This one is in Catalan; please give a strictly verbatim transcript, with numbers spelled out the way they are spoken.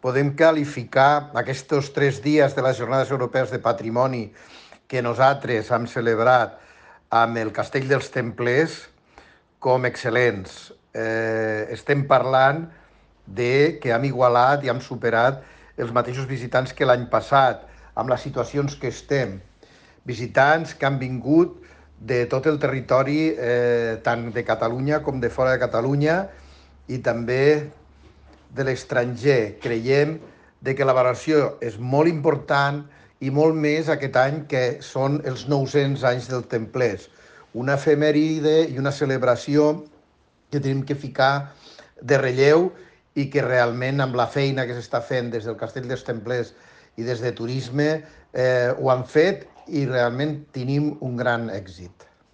podem qualificar aquests tres dies de les Jornades Europees de Patrimoni que nosaltres hem celebrat amb el Castell dels Templers com excel·lents. Eh, estem parlant de que hem igualat i hem superat els mateixos visitants que l'any passat, amb les situacions que estem. Visitants que han vingut de tot el territori, eh, tant de Catalunya com de fora de Catalunya, i també de l'estranger. Creiem de que la valoració és molt important i molt més aquest any que són els nou-cents anys del Templers. Una efemèride i una celebració que tenim que ficar de relleu i que realment amb la feina que s'està fent des del Castell dels Templers i des de Turisme eh, ho han fet i realment tenim un gran èxit.